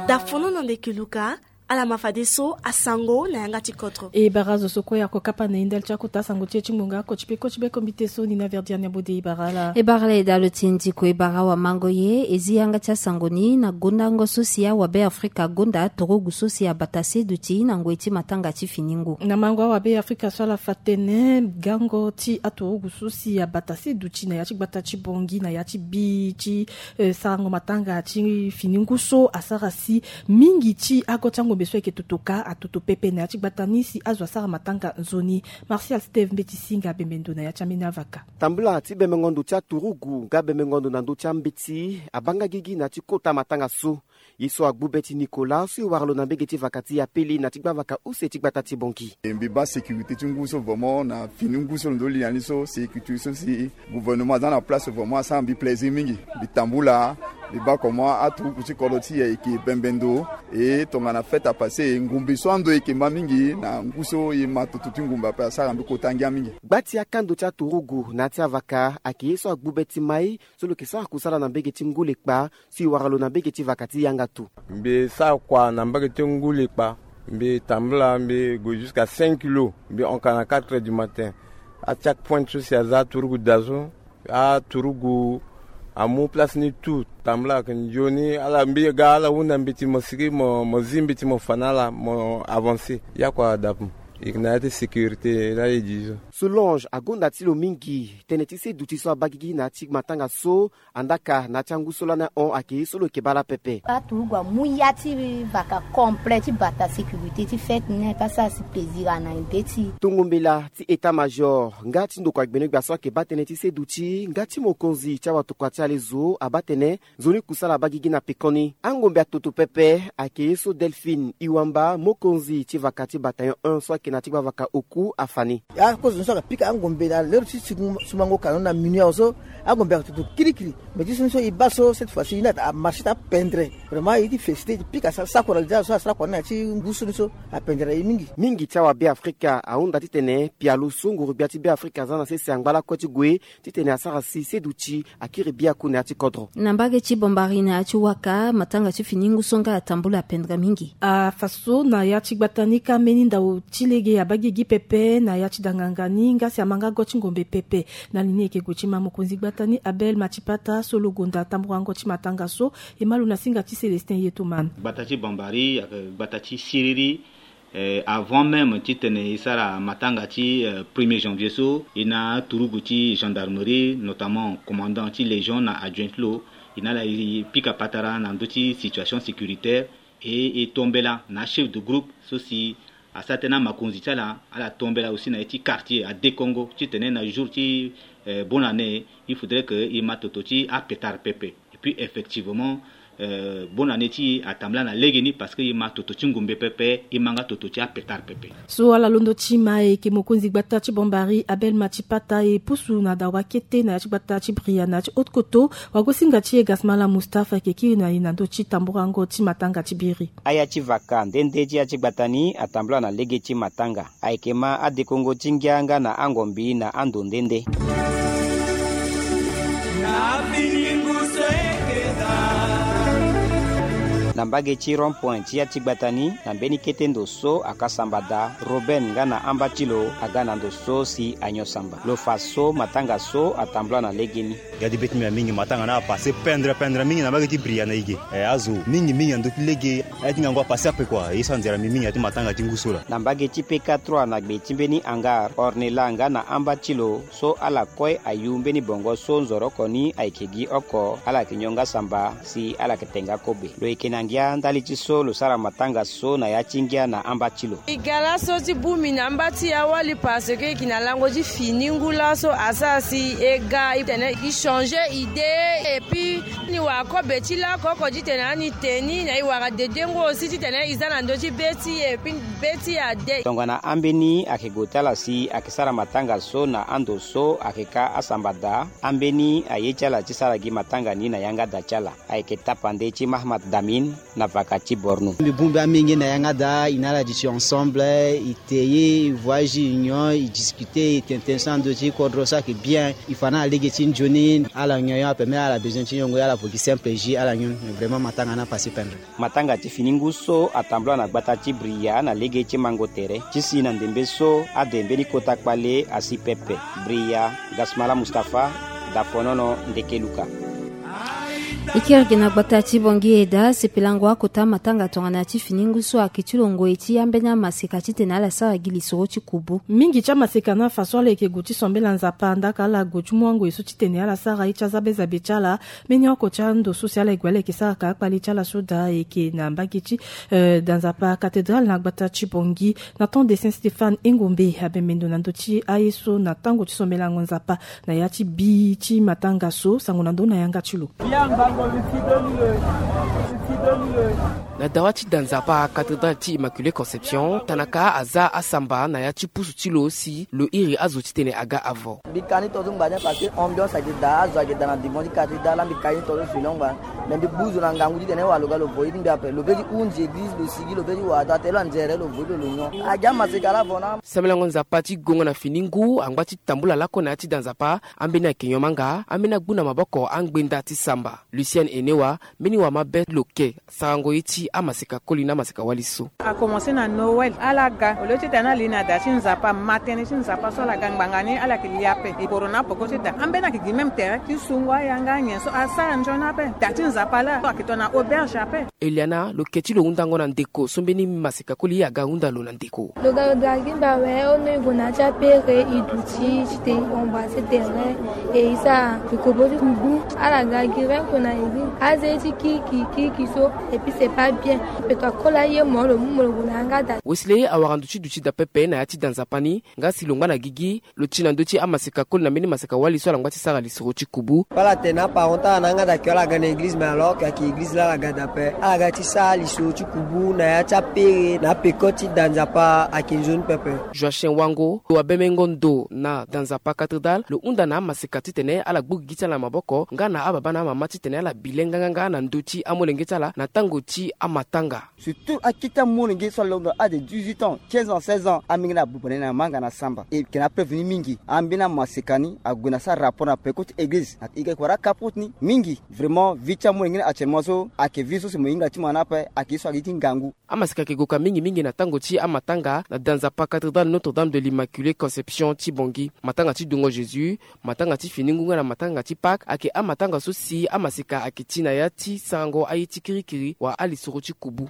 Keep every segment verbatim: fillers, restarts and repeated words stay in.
Da fono na ndeke luka. Ala ma fadeso asango na yanga ti kodro. E bara zo so kue ako kapa na e ndali ti akota sango ti e ti ngonga oko ti pe koti be kombite so ni na verdiane abode e bara ala. E bara ala e dalo ti e ndiko e bara awamango ye e zi yanga ti asango ni na gondango so si awabe afrika agonda turugu so si abata seduti na ngoi ti matanga ti finingu. Na mango awabe afrika so ala fa tene gango ti aturugu so si abata seduti na ya ti gbata ti bongi na ya ti bi ti eh, sarango matanga ti finingu so asara si mingi ti ago ti angombe so ayeke totoka atoto pepe na ya ti gbata ni si azo asara matanga nzoni. Martial steve mbeti singa bembe ndo na ya ti ambeni avaka. Tambula ti bembengo ndo ti aturugu nga bembengo ndo na ndö ti ambeti abanga gigi na ya ti kota matanga so. Ye so agbu be ti nicolas so e wara lo na mbege ti vaka ti ya pele na ti gbavaka use ti gbata ti bongi. E mbi baa sécurité ti ngu so vraiment na fini ngu so lo ndo li na ni so sécurité so si gouvernement aza na place vraiment asara mbi plaisir mingi. Mbi tambula mbi baa comment aturuku ti kodro ti e ayeke bembe ndo. E tongana fête apasse ngumbe so ando e yeke ma mingi na ngu so e ma toto ti ngumbe ape asara mbi kota ngia mingi. Gba ti akando ti aturugu na ya ti avaka ayeke ye so agbu be ti mai so lo yeke sara kusala na mbege ti ngu lekpa. Si wara lo na mbege ti vaka ti yanga tu. Mbi sara kua na mbage ti ngu lekpa. Mbi tambula mbi gue jusqu'à cinq kilo. Mbi honka na quatre heures du matin. Achaque point so si aza aturugu da so aturugu amu place ni tout. Tambula ayeke nzoni ala mbi ga ala hunda mbeti mo sigi mo zi mbeti mo fa na ala mo avancer. Ya kua dapu. E yeke na ya ti sécurité la e di so. Solange agonda ti lo mingi tënë ti se duti so abaa gigi na ya ti matanga so. Andaka na ya ti angu so lani ahon ayeke ye so lo yeke baa laa pepe. Aturugu amu ya ti vaka complet ti bata sécurité ti fête ni aye pe asara si plaisir ana ende ti. Tongo mbela ti état major nga ti ndokua gbenogbia so ayeke baa tënë ti se duti nga ti mokonzi ti awatokua ti alezo abaa tene nzoni kusala abaa gigi na pekoni angombe atoto pepe. Ayeke ye so delphine iwamba mokonzi ti vaka ti bataillon un so ayeke na ti gbavaka oku afa ni. Akozo ni so ayeke pika angombe na lero ti sumango kano na minuit awe so. Angombe ayeke toto kirikiri. Mais ti so ni so e baa so cette fois ci e na amarché ti apendre. Vraiment e ti félicité e ti pika sara sakora lida so asara kua ni na ya ti ngu so ni so. Apendre na e mingi. Mingi ti awabe afrika ahunda titene pialo so nguru-gbia ti be afrika aza na sese angba lakue ti gue titene asara si seduti akiri biaku na ya ti kodro. Na mbage ti bombari na ya ti waka matanga ti fini ngu so nga atambula apendre mingi. Afa so na ya ti gbata ni ka mbeni ndau ti lege abaa gigi pepe na ya ti danganga ni nga si amanga go ti ngombe pepe. Na li ni eke gue ti ma mokonzi gbata ni abel matipata so lo gonda tamburango ti matanga so. E ma lo na singa ti célestin yetoman. Gbata ti bombari ayeke gbata ti siriri. Avant même titene e sara matanga ti premier janvier so e na aturugu ti gendarmerie notamment commandant ti légion na adjoint ti lo. E na ala e pika patara na ndö ti situation sécuritaire. E e tombela na achef de groupe so si asara tënë na makonzi ti ala. Ala tombela aussi na ye ti quartier adekongo titene na jour ti bonne année il faudrait que e ma toto ti apetare pepe. Et puis effectivement bonne année ti e atambula na lege ni parce que e ma toto ti ngumbe pepe e ma nga toto ti apetare pepe. So ala londo ti ma e yeke mokonzi gbata ti bombari abel matipata e pusu na dawa kete na ya ti gbata ti bria na ya ti haute koto. Wagosinga ti e gasmala mustafa eke kiri na e na ndö ti tamburango ti matanga ti biri. Aya ti vaka nde nde ti ya ti gbata ni atambula na lege ti matanga. Ayeke ma adekongo ti ngia nga na angombi na ando nde nde. Na mbage ti rond point ti ya ti gbata ni na mbeni kete ndo so aka samba daa roben nga na amba ti lo aga na ndo so si anyo samba lo fa so matanga so atambula na legeni. Gadi be ti mbi na mingi matanga na apasse pendre pendre mingi na mbage ti bria na ige. Azo mingi mingi na ndö ti lege. Aye ti ngangu apasse ape kua ye so anzera mbi mingi na ya ti matanga ti ngu so laa. Na mbage ti peka trois na gbe ti mbeni hangar ornela nga na amba ti lo so ala kue ayu mbeni bongo so nzoro oko ni ayeke gi oko ala yeke nyon nga samba si ala yeke te nga kobe. Lo yeke na ngia ndali ti so lo sara matanga so na ya ti ngia na amba ti lo. E ga laso ti bongbi na amba ti e awali parce que e yeke na lango ti fini ngu laso asara si e ga e tene e changer idée. Et puis ni wara kobe ti lako oko ti tene ani te ni na e wara dedengo aussi ti tene e za na ndö ti be ti e et puis be ti e ade. Tongana ambeni ayeke gue ti ala si ayeke sara matanga so na ando so ayeke ka asamba daa. Ambeni aye ti ala ti sara gi matanga ni na yanga da ti ala. Ayeke tapande ti mahamat damin Na vaka ti Borno. Mbi bongbi amingi na yanga daa, e na ala duti ensemble, e te ye, e voyage, e union, e discuter, e tene tënë so na ndö ti kodro so ayeke bien. E fa na ala lege ti nzoni, ala nyon ape, même ala besoin ti nyongo, ala vo gi simple jus, ala nyon. Vraiment matanga ni apasé pendre. Matanga ti fini ngu so atambula na gbata ti Bria na lege ti mango tere ti si na ndembe so ade mbeni kota kpale asi pepe. Bria, Gasmala Mustapha, Dafonono, Ndeke Luka. E kiri gi na gbata ti Bangui e daa sepelango akota matanga tongana ya ti fini ngu so ayeke ti lo ngoi ti ambeni amaseka titene ala sara gi lisoro ti kubu. Mingi ti amaseka ni afa so ala yeke gue ti sambela Nzapa, ndaka ala gue ti mu angoi so titene ala sara ye ti azabezabe ti ala. Mbeni oko ti ando so si ala ye gue ala yeke sara ka akpale ti ala so daa ayeke na mbage ti, eh, da Nzapa cathédrale na gbata ti Bangui. Na temps de Saint Stéphane, Engombe abembe ndo na ndö ti aye so na tango ti sombelango Nzapa na ya ti bi ti matanga so, sango na ndö na yanga ti lo. Na dawa ti da Nzapa cathédrale ti Immaculée Conception, tanaka aza asamba na ya ti pusu ti lo si lo iri azo titene aga avo. Mbi ka ni tongaso ngba ni parce que ambiance ayeke daa, azo ayeke daa na devant ti cathédrale, mbi ka ni tongaso filo ngba. Me mbi gbu zo na ngangu titene wala lo ga lo vo ye ti mbi ape, lo be ti hunzi église, lo sigi, lo be ti wara daa, tene lo anzere, lo vo ye ti lo, lo nyon. Aga amaseka laa vo na. Sambelango Nzapa ti gongo na fini ngu angba ti tambula lakue na ya ti da Nzapa. Ambeni ayeke nyon manga, ambeni agbu na maboko angbenda ti samba. Lucienne Enewa, mbeni wamabe lo ke sarango ye ti amaseka koli na amaseka wali so. Akomanse na Noël, ala ga, au lieu titene ala li na da ti Nzapa, matene ti Nzapa so ala ga ngbanga ni, ala yeke li ape. E poro na apoko ti da. Ambeni ayeke gi même terrain ti sungo ayanga nyen so asara nzoni ape. Da ti Nzapa laa so ayeke tongana auberge ape. Eliana, lo ke ti lo hundango na ndeko so mbeni maseka koli aga hunda lo na ndeko. Lo ga lo ga gi mbi awe, ono e gue na ya ti apere, e duti, ti te e embrasser terrain, e e sara e kobo ti ngu. Ala ga gi renko na e gi aze ti kirikiri kirikiri so, et puis c'est pas bien. Peko akoli aye mo, lo mu mo, lo gue na yanga da. Wesley awara ndo ti duti da pepe na ya ti da Nzapa ni, nga si lo ngba na gigi, lo ti na ndö ti amaseka koli na mbeni maseka wali so ala ngba ti sara lisoro ti kubu. Ala tene na aparent ti ala na yanga da ke ala ga na église, mais alors ke ayeke église laa ala ga da ape. Ala ga ti sara lisoro ti kubu na ya ti apere na apeko ti da Nzapa ayeke nzoni pepe. Joachim Wango, lo abemengo ndo na da Nzapa cathédrale, lo hunda na amaseka titene ala gbu gigi ti ala na maboko nga na ababa na amama titene ala bi le nganganga na ndö ti amolenge ti ala na tango ti amatanga. Surtout akete amolenge so alondo ade dix-huit ans, quinze ans, seize ans, amenge ni abuba ni na manga na samba. E yeke na preuve ni mingi. Ambeni amaseka ni ague na sara rapport na peko ti église. E yeke wara capote ni mingi. Vraiment, vie ti amolenge ni actuellement so ayeke vie so si mo hinga ti mo na ape, ayeke ye so ayeke ye ti ngangu. Amaseka ayeke goka mingi mingi na tango ti amatanga na da Nzapa cathédrale Notre-Dame de l'Immaculée Conception ti Bangui. Matanga ti dungo Jésus, matanga ti fini ngu nga na matanga ti Pâques ayeke amatanga so si amaseka ayeke ti na ya ti sarango aye ti kirikiri wala alisoro ti kubu.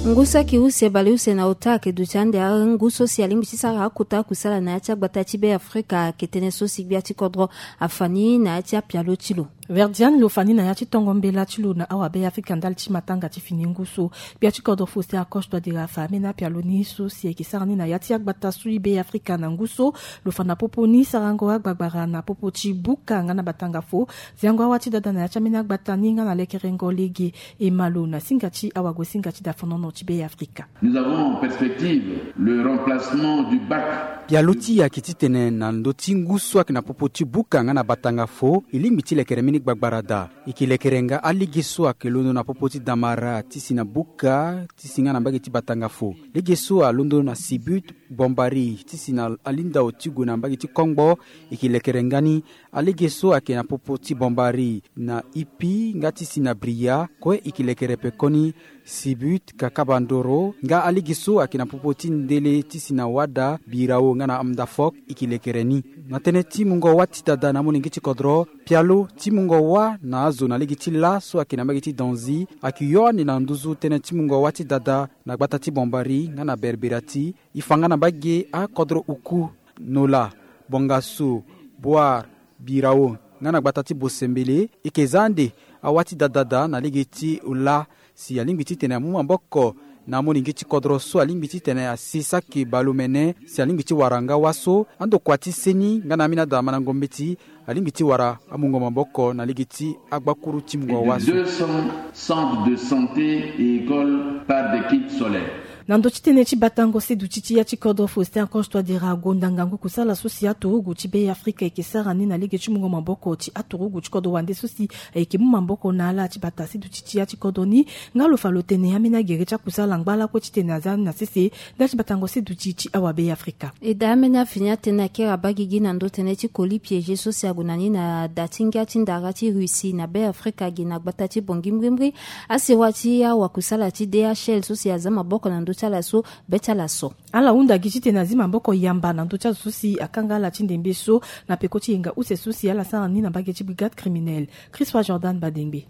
Ngu so ayeke use bale use na ota ayeke duti ande angu so si alingbi ti sara akota kusala na ya ti agbata ti Be Afrika ayeke tënë so si gbia ti kodro afa ni na ya ti apialo ti lo. Verdiane lo fa ni na ya ti tongo mbela ti lo na awabe Afrika ndali ti matanga ti fini ngu so. Gbia ti kodro Faustin Archange Touadéra afa ambeni apialo ni so si ayeke sara ni na ya ti agbata so i Be Afrika na ngu so. Lo fa na popo ni sarango agbagbara na popo ti buka nga na batanga fo, ziango awa ti dada na ya ti ambeni agbata ni nga na lekerengo lege e ma lo na singa ti awagosinga ti dafonono ti Be Afrika. Nous avons en perspective le remplacement du bac. Pialo ti e ayeke titene na ndö ti ngu so ayeke na popo ti buka nga na batanga fo, e lingbi ti lekere mbeni gbagbara daa. E yeke lekere nga alege so ayeke londo na popo ti damara ti si na buka ti si nga na mbage ti batanga fo. Lege so alondo na Sibut, Bombari ti si na alindao ti gue na mbage ti kongbo, e yeke lekere nga ni. Alege so ayeke na popo ti Bombari na Ipi nga ti si na Bria kue, e yeke lekere pekoni Sibut, Kakabandoro nga alege so ayeke na popo ti Ndele ti si na Wada, Birao nga na Amdafok, e yeke lekere ni. Na tënë ti mungo wâ ti dada na amolenge ti kodro, pialo ti mungo wâ na azo na lege ti lâ so ayeke na mbage ti Danzi ayeke yo ande na nduzu tënë ti mungo wâ ti dada na gbata ti Bombari nga na Berberati. E fa nga na mbage akodro oku, Nola, Bongaso, Boar, Birao nga na gbata ti Bosembele. E yeke za ande awâ ti dada daa na lege ti lâ si alingbi titene amu maboko na amolenge ti kodro so alingbi titene asi saki baleomene si alingbi ti wara nga wâ so. Andokua ti seni nga na ambeni ada mandango mbeti alingbi ti wara amungo maboko na lege ti agbakuru ti mungo wâ so. Deux cents centres de santé et écoles par des kits scolaires. Na ndö ti tënë ti batango seduti ti ya ti kodro Faustin Archange Touadéra agonda ngangu kusala so si aturugu ti Be Afrika ayeke sara ni na lege ti mungo maboko ti aturugu ti kodro wande so si ayeke mu maboko na ala ti bata seduti ti ya ti kodro ni. Nga lo fa lo tene ambeni agere ti akusala ngba lakue titene aza ni na sese nda ti batango seduti ti awa Be Afrika. E daa ambeni afini atene akere abaa gigi na ndö tënë ti colis piégé so si ague na ni na da ti ngia ti ndara ti Russie na Be Afrika gi na gbata ti Bangui mbrimbri. Asewa ti awakusala ti D H L so si aza maboko na ndö ti ala so be ti ala so. Ala hunda gi titene azi maboko yamba na ndö ti azo so si akanga ala ti ndembe so na peko ti yenga use so si ala sara ni na mbage ti brigade criminelle. Christophe Jordan Badengbe.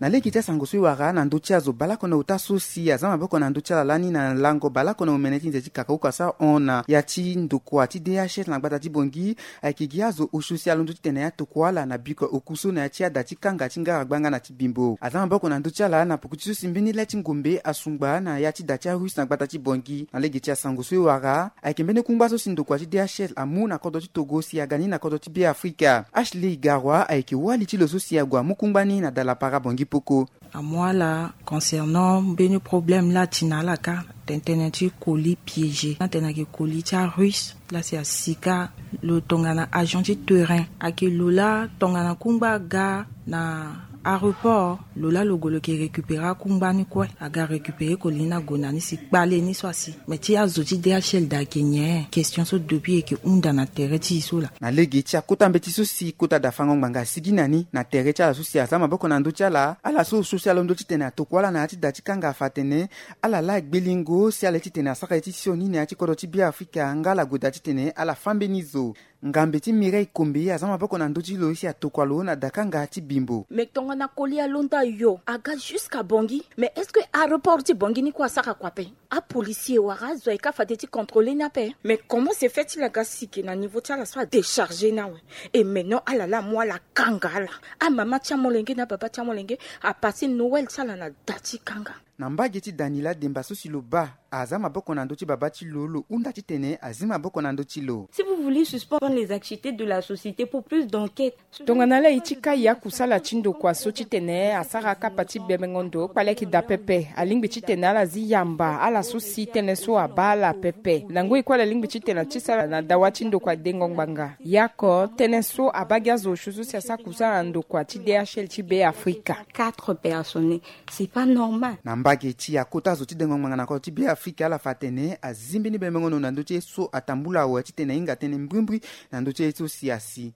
Na lege ti asango so e wara na ndö ti azo baleoko na ota so si aza maboko na ndö ti ala lani na lango baleoko na omene ti nze ti kakauka so ahon na ya ti ndokua ti D H L na gbata ti Bangui, ayeke gi azo osio si alondo titene atokua ala na biko oku so na ya ti ada ti kanga ti ngara gbanga na ti bimbo. Aza maboko na ndö ti ala na poko ti so si mbeni le ti ngombe asungba na ya ti da ti arusse na gbata ti Bangui. Na lege ti asango so e wara, ayeke mbeni kungba so si ndokua ti D H L amu na kodro ti Togo si aga ni na kodro ti Be Afrika. Ashley Igarwa ayeke wali ti lo so si ague amu kungba ni na dalapara Bangui poko. Amu ala concernant mbeni problème la ti na ala kâ, tene tënë ti colis piégé, na tene ayeke colis ti arusse. La si asi kâ, lo tongana agent ti terrain, ayeke lo la tongana kungba aga na aéroport, lo la lo gue lo yeke récupérer akungba ni kue. Aga récupérer colis ni ague na ni si kpale ni so asi. Mais ti azo ti D H L daa ayeke nyen? Question so depuis e yeke hunda na tere ti e so laa. Na lege ti akota mbeti so si kota da fango ngbanga asigi na ni na tere ti ala so si aza maboko na ndö ti ala, ala so osio si alondo titene atokua ala na ya ti da ti kanga afa atene ala laa gbelingo si ala ye titene asara ye ti sioni na ya ti kodro ti Be Afrika nga ala gue daa titene ala fâ mbeni zo. Ngambe ti Mireille Kombe aza maboko na ndö ti lo si atokua lo na dakanga ti bimbo. Mais tongana colis alonda yo aga jusqu'à Bangui, mais est-ce que aéroport ti Bangui ni kue asara kua ape? Apolicier wala azo ayeke afade ti contrôler ni ape. Mais comment se fait-il aga si ke na niveau ti ala so adécharger ni awe? Et maintenant ala laa amu ala kanga ala. Amama ti amolenge na ababa ti amolenge apasser Noël ti ala na da ti kanga. Na mbage ti Daniela Demba so si lo baa aza maboko na ndö ti baba ti lo, lo hunda titene azi maboko na ndö ti lo. Si vous voulez suspendre les activités de la société pour plus d'enquête. Tongana ala ye ti kai akusala ti ndokua so titene asara kapa ti bebengo ndo kpale ayeke daa pepe. Alingbi titene ala zi yamba ala so si tënë so abaa ala pepe. Na ngoi kue ala lingbi titene ati sara na dawa ti ndokua dengo ngbanga. Yako tënë so abaa gi azo osio so si asara kusala na ndokua ti D H L ti Be Afrika. Quatre personnes. C'est pas normal. Na mbage ti akota zo ti dengo ngbanga na kodro ti Be Afrika, ala fa atene azi mbeni bebengo ndo na ndö ti ye so atambula awe titene ahinga tënë mbrimbri na ndö ti ye so si asi.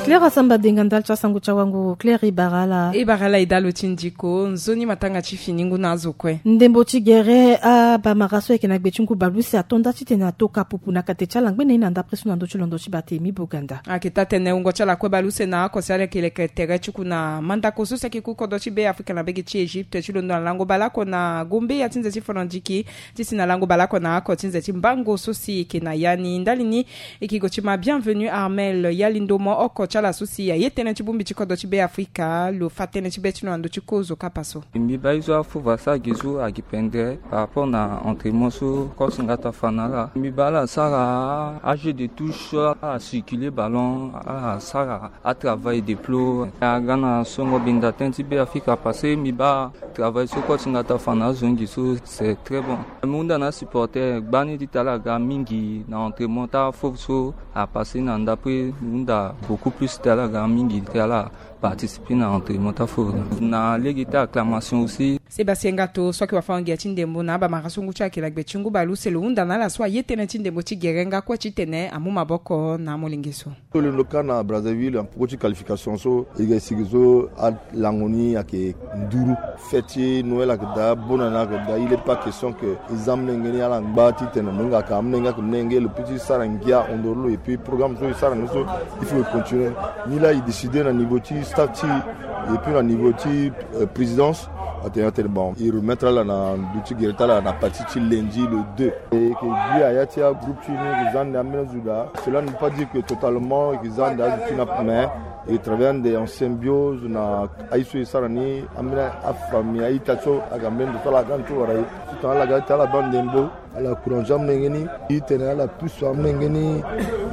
Claire Asamba Denga ndali ti asango ti awango. Claire, e bara ala. E bara ala e dalo ti ndiko nzoni matanga ti fini ngu na azo kue. Ndembo ti gere abamara so ayeke na gbe ti ngu baleuse ato nda titene ato ka pupu na kate ti ala ngbene ye na ndapre so na ndö ti londo ti Barthélemy Boganda. Ayeke taa tene wungo ti ala kue baleuse na oko si ala yeke leke tere ti ku na mandako so si ayeke ku kodro ti Be Afrika na mbage ti Egypte ti londo na lango baleoko na gombe ya ti nze ti Fonondiki ti si na lango baleoko na oko ti nze ti Mbango so si e yeke na ya ni ndali ni. E yeke gue ti ma Bienvenu Armel ya lindo mo oko ti ala so si aye tënë ti bongbi ti kodro ti Be Afrika lo fa tënë ti be ti lo na ndö ti kozo kapa so. Mbi baa ye so afova asara gi so ayeke pendere par rapport na entraînement so coach Ngata afa na ala. Mbi baa ala sara ajeu de touche, ala circuler ballon, ala sara atravail de plo. Aga na songo binda tënë ti Be Afrika parce que mbi baa travail so coach Ngata afa na azongi so c'est très bon. Mbi hunda na asupporter gbani ti tene ala ga mingi na entraînement ti afofo so apasser na ndapre. Mbi hunda beaucoup plus ti tene ala ga mingi ti tene ala participer na entraînement ti afofo. Na lege ti acclamation aussi. Sébastien Ngato so ayeke wafango-ngia ti ndembo na abamara so ngu ti ala yeke na gbe ti ngu baleuse lo hunda na ala so aye tënë ti ndembo ti gere nga kue titene amu maboko na amolenge so. Tolo lo ka na Brazzaville na poko ti qualification so e ga e sigi so alango ni ayeke nduru. Fête ti Noël ayeke daa, bonne année ayeke daa. Il est pas question que e za molenge ni ala ngba titene mo hinga ka amolenge ayeke molenge lo peut ti sara ngia hondoro lo. Et puis programme so e sara ni so il faut e continuer. Ni laa e décider na niveau ti staff ti e et puis na niveau ti, euh, présidence. Atene atene bon e remettre ala na ndö ti gere ti ala na partie ti lundi le deux. E yeke gi aya ti agroupe ti ni e yeke za ande ambeni azo daa. Cela ne veut pas dire que totalement e yeke za ande azo ti ni ape, mais e travailler ande en symbiose na aye so e sara ni. Ambeni afamille a-ita ti so aga mbeni ndo so ala ga ni so wara e. Titene ala ga ti ala baa ndembo, ala encourager amolenge ni titene ala pusu amolenge ni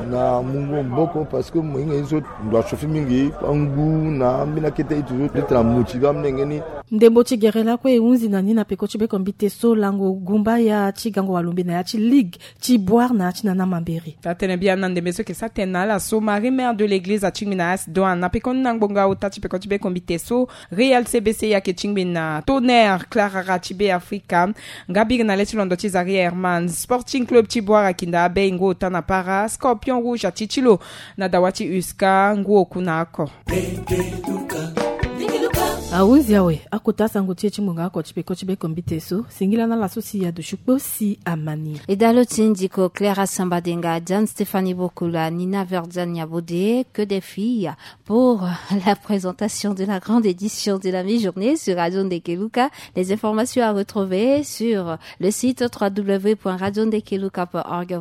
Na mungo mboko parce que mohinga ye so ndo achauffer mingi angu na ambeni akete ye toujours d'être motivé amolenge ni. Ndembo ti gere lakue e hunzi na ni na peko ti bekombi te so lango gumba ya ti gango walombe na ya ti ligue ti boire na ya ti nana mamberi. Taa tene biani na ndembe so eke sa tene na ala so marie mère de l'église atingbi na ace doin na pekoni na ngbonga ota ti peko ti bekombi te so real cbc ayeke tingbi na tonnerre clarara ti be africa. Nga biri na le ti londo ti zaria herman sporting club ti boire akinda abe ngu ota na para scorpion rouge ati ti lo na dawa ti uska ngu oku na oko. Ahunzi awe akota asango ti e ti ngbonga oko ti peko ti bekombi te so singila na ala so si adusu kpo si amani. Edalo ti ndiko claire asamba denga diane stéphanie bokola nina verdiane nyabode que des filles pour la présentation de la grande édition de la mi-journée sur radio ndekeluka. Les informations à retrouver sur le site trois w point radio ndekeluka point org.